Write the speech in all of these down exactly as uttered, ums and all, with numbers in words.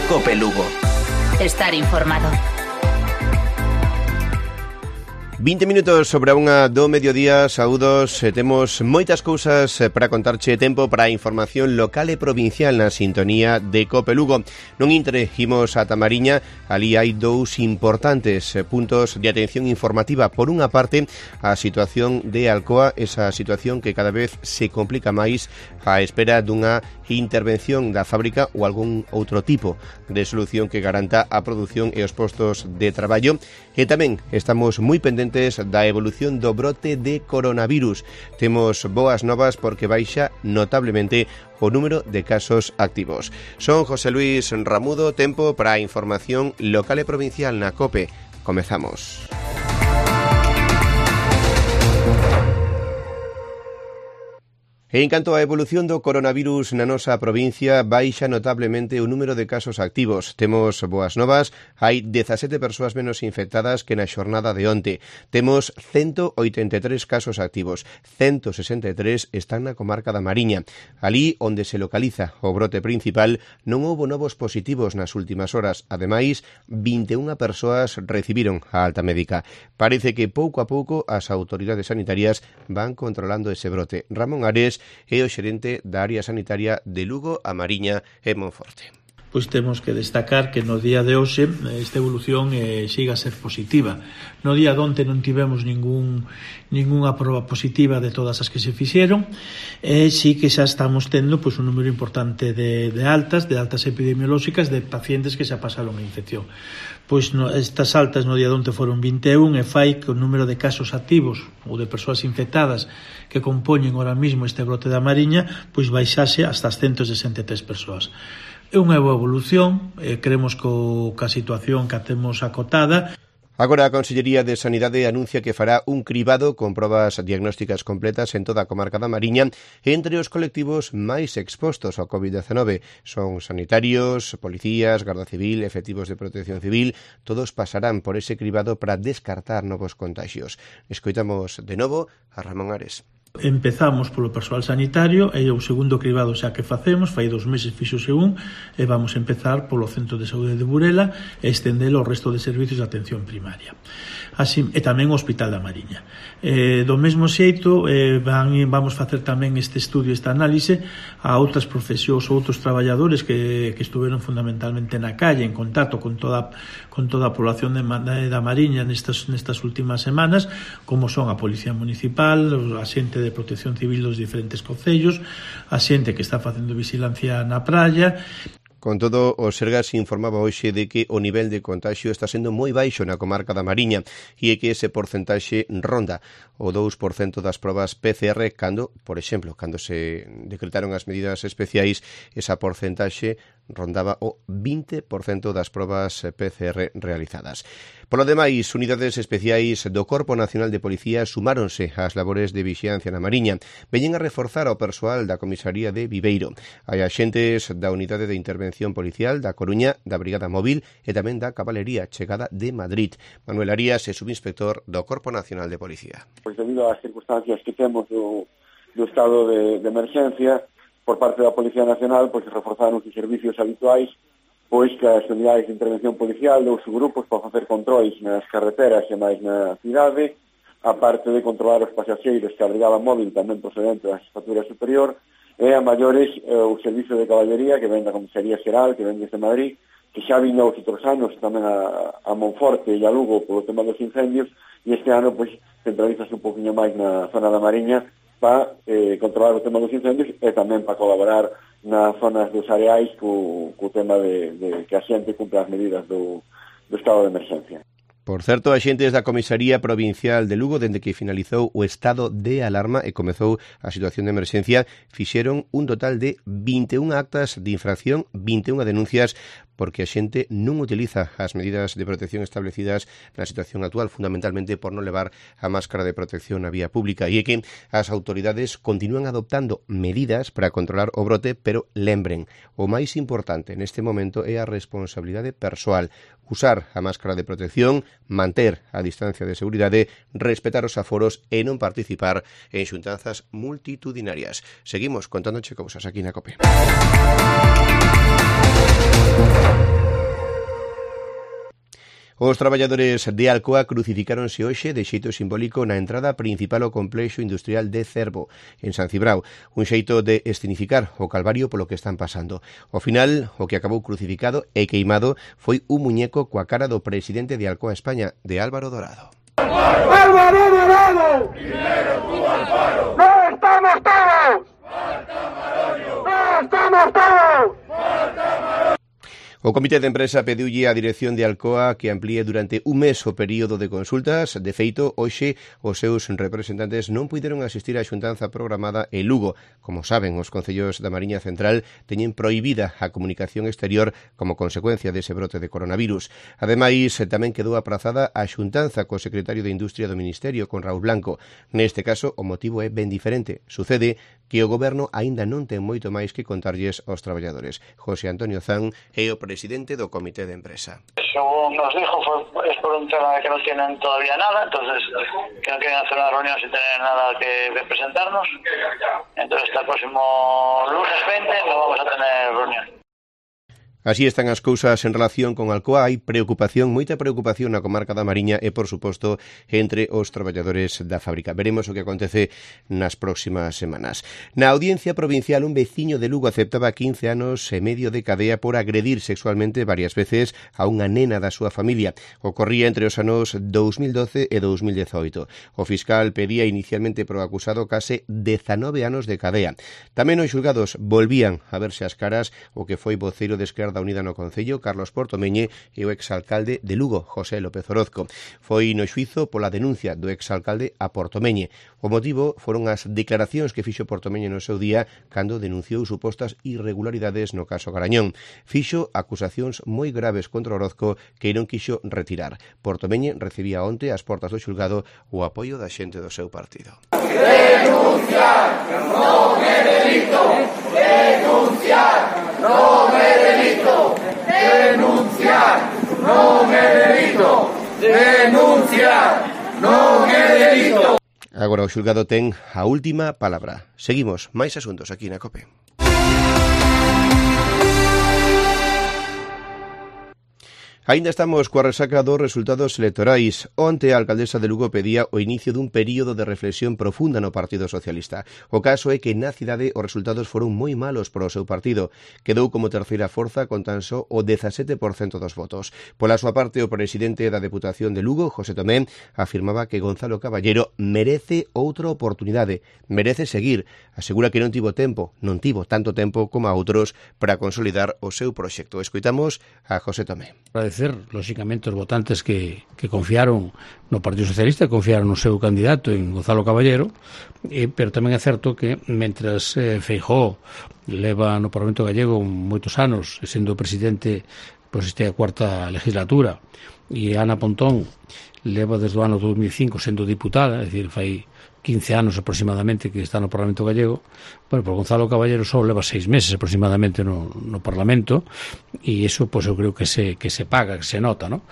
Cope Lugo. Estar informado. vinte minutos sobre a unha do mediodía, saúdos, e temos moitas cousas para contarche, tempo para a información local e provincial na sintonía de Cope Lugo. Non intre, imos a Tamariña, ali hai dous importantes puntos de atención informativa. Por unha parte, a situación de Alcoa, esa situación que cada vez se complica máis á espera dunha intervención da fábrica ou algún outro tipo de solución que garanta a produción e os postos de traballo. E tamén estamos moi pendentes da evolución do brote de coronavirus. Temos boas novas porque baixa notablemente o número de casos activos. Son José Luis Ramudo, tempo para a información local e provincial na COPE. Comezamos. En canto á evolución do coronavirus na nosa provincia, baixa notablemente o número de casos activos. Temos boas novas, hai dezasete persoas menos infectadas que na xornada de onte. Temos ciento oitenta e tres casos activos, ciento sesenta e tres están na comarca da Mariña. Alí onde se localiza o brote principal non houbo novos positivos nas últimas horas. Ademais, vinte e unha persoas recibiron a alta médica. Parece que pouco a pouco as autoridades sanitarias van controlando ese brote. Ramón Ares é o xerente da área sanitaria de Lugo, a Mariña e Monforte. Pois temos que destacar que no día de hoxe esta evolución eh, siga a ser positiva. No día de onte non tivemos ningún, ningunha proba positiva de todas as que se fixeron, e sí que xa estamos tendo pois, un número importante de, de altas, de altas epidemiolóxicas de pacientes que xa pasaron a infección. Pois no, estas altas no día de onte foron vinte e un, e fai que o número de casos activos ou de persoas infectadas que compoñen ahora mismo este brote da Mariña pois baixase hasta as ciento sesenta e tres persoas. É unha boa evolución, eh, creemos que, o, que a situación que temos acotada. Agora a Consellería de Sanidade anuncia que fará un cribado con probas diagnósticas completas en toda a comarca da Mariña entre os colectivos máis expostos ao covid diecinueve. Son sanitarios, policías, Garda Civil, efectivos de protección civil, todos pasarán por ese cribado para descartar novos contagios. Escoitamos de novo a Ramón Ares. Empezamos polo persoal sanitario e o segundo cribado xa que facemos, fai dos meses fixose un, e vamos a empezar polo Centro de Saúde de Burela e estendelo ao resto de servicios de atención primaria. Así, e tamén o Hospital da Mariña. Eh, do mesmo xeito, eh, van, vamos facer tamén este estudio, esta análise a outras profesións ou outros traballadores que, que estuveron fundamentalmente na calle en contacto con toda, con toda a población de, da Mariña nestas, nestas últimas semanas, como son a Policía Municipal, a xente de protección civil dos diferentes concellos, a xente que está facendo vigilancia na praia. Con todo, o Sergas informaba hoxe de que o nivel de contagio está sendo moi baixo na comarca da Mariña e que ese porcentaxe ronda o dous por cento das probas P C R cando, por exemplo, cando se decretaron as medidas especiais, esa porcentaxe rondaba o vinte por cento das probas P C R realizadas. Polo demais, unidades especiais do Corpo Nacional de Policía sumáronse ás labores de vixiancia na Mariña. Veñen a reforzar o persoal da comisaría de Viveiro. Hai axentes da Unidade de Intervención Policial da Coruña, da Brigada Móvil e tamén da Cabalería chegada de Madrid. Manuel Arías é subinspector do Corpo Nacional de Policía. Pois debido ás circunstancias que temos do, do estado de, de emergencia, por parte da Policía Nacional, pois reforzaron os servicios habituais, pois que as unidades de intervención policial dous grupos para facer controis nas carreteras e máis na cidade, aparte de controlar os pasaxeiros que a Brigada Móvil tamén procedente da Jefatura Superior, e a maiores eh, o servicio de caballería que ven da Comisaría Xeral, que ven desde Madrid, que xa viña os outros anos tamén a, a Monforte e a Lugo polo tema dos incendios, e este ano pois centralizase un poquinho máis na zona da Mariña para eh, controlar o tema dos incendios e tamén para colaborar nas zonas dos areais co, co tema de, de que a xente cumpla as medidas do, do estado de emergencia. Por certo, axentes da Comisaría Provincial de Lugo, dende que finalizou o estado de alarma e comezou a situación de emerxencia, fixeron un total de vinte e unha actas de infracción, vinte e unha denuncias, porque a xente non utiliza as medidas de protección establecidas na situación actual, fundamentalmente por non levar a máscara de protección na vía pública. E é que as autoridades continúan adoptando medidas para controlar o brote, pero lembren, o máis importante neste momento é a responsabilidade persoal. Usar a máscara de protección, manter a distancia de seguridade, respetar os aforos e non participar en xuntanzas multitudinarias. Seguimos contándoche cousas aquí na COPE. Os traballadores de Alcoa crucificáronse hoxe de xeito simbólico na entrada principal ao complexo industrial de Cervo, en San Cibrao, un xeito de escenificar o calvario polo que están pasando. Ao final, o que acabou crucificado e queimado foi un muñeco coa cara do presidente de Alcoa España, de Álvaro Dorado. ¡Álvaro Dorado! ¡Primero tú al paro! ¡No estamos todos! ¡Marta Maroño! ¡No estamos todos! ¡Marta Maroño! O Comité de Empresa pediulle á dirección de Alcoa que amplíe durante un mes o período de consultas. De feito, hoxe os seus representantes non puideron asistir á xuntanza programada en Lugo. Como saben, os concellos da Mariña Central teñen prohibida a comunicación exterior como consecuencia dese brote de coronavirus. Ademais, tamén quedou aprazada a xuntanza co secretario de Industria do Ministerio, con Raúl Blanco. Neste caso, o motivo é ben diferente. Sucede que o Goberno aínda non ten moito máis que contarlles aos traballadores. José Antonio Zan é o presidente do Comité de Empresa. Según nos dijo, fue, es por un tema de que no tienen todavía nada, entonces que no quieren hacer una reunión sin tener nada que, que presentarnos. Entonces hasta el próximo lunes veinte no vamos a tener reunión. Así están as cousas en relación con Alcoa. Hai preocupación, moita preocupación na comarca da Mariña e, por suposto, entre os traballadores da fábrica. Veremos o que acontece nas próximas semanas. Na Audiencia Provincial, un veciño de Lugo aceptaba quince anos e medio de cadea por agredir sexualmente varias veces a unha nena da súa familia. Ocorría entre os anos dous mil doce e dous mil dezoito. O fiscal pedía inicialmente pro acusado case dezanove anos de cadea. Tamén os xulgados volvían a verse as caras o que foi voceiro de Esquerda da Unida no Concello, Carlos Portomeñe, e o exalcalde de Lugo, José López Orozco. Foi no xuizo pola denuncia do exalcalde a Portomeñe. O motivo foron as declaracións que fixo Portomeñe no seu día cando denunciou supostas irregularidades no caso Garañón. Fixo acusacións moi graves contra Orozco que non quixo retirar. Portomeñe recibía onte ás portas do xulgado o apoio da xente do seu partido. Denunciar non é delito. Denunciar non é delito. Denunciar non é delito. Denunciar non é delito. Agora o xulgado ten a última palabra. Seguimos, máis asuntos aquí na COPE. Ainda estamos coa resaca dos resultados electorais. Onte a alcaldesa de Lugo pedía o inicio dun período de reflexión profunda no Partido Socialista. O caso é que na cidade os resultados foron moi malos para o seu partido. Quedou como terceira forza con tan só o dezasete por cento dos votos. Pola súa parte, o presidente da Deputación de Lugo, José Tomé, afirmaba que Gonzalo Caballero merece outra oportunidade, merece seguir. Asegura que non tivo tempo, non tivo tanto tempo como a outros para consolidar o seu proxecto. Escoitamos a José Tomé. Agradecer, lóxicamente, os votantes que, que confiaron no Partido Socialista, confiaron no seu candidato en Gonzalo Caballero, eh, pero tamén é certo que, mentras eh, Feijóo leva no Parlamento Gallego moitos anos, sendo presidente, pois este é a cuarta legislatura, e Ana Pontón leva desde o ano dos mil cinco sendo diputada, é dicir, fai quince anos aproximadamente que está no Parlamento Gallego. Bueno, por Gonzalo Caballero só leva seis meses aproximadamente no, no Parlamento, e iso, pois, eu creo que se, que se paga, que se nota, non?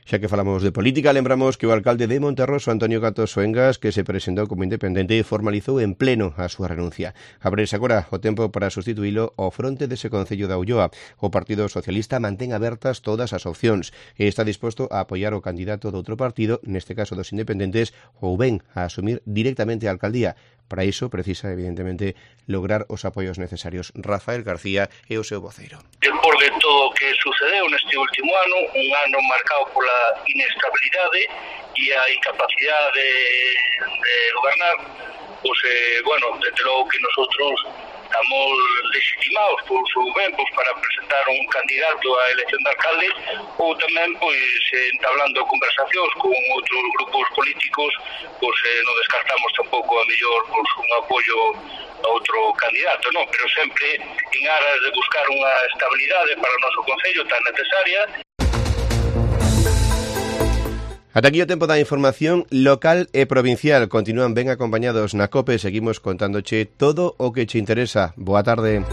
Xa que falamos de política, lembramos que o alcalde de Monterroso, Antonio Gato Soengas, que se presentou como independente, formalizou en pleno a súa renuncia. Abrese agora o tempo para sustituílo ao fronte dese concello da Ulloa. O Partido Socialista mantén abertas todas as opcións e está disposto a apoiar o candidato do outro partido, neste caso dos independentes, ou ben a asumir directamente a alcaldía. Para iso precisa, evidentemente, lograr os apoios necesarios. Rafael García é o seu voceiro. Despois de todo o que sucedeu neste último ano, un ano marcado pola inestabilidade e a incapacidade de, de gobernar, pois, eh, bueno, desde logo que nosotros estamos legitimados por su ben, pois, para presentar un candidato á elección de alcalde, ou tamén, pois, entablando conversacións con outros grupos políticos, pois eh, non descartamos tampouco a mellor pois, un apoio a outro candidato, non? Pero sempre en aras de buscar unha estabilidade para o noso concello tan necesaria. Ata aquí o tempo da información local e provincial. Continúan ben acompañados na COPE. Seguimos contándoche todo o que che interesa. Boa tarde.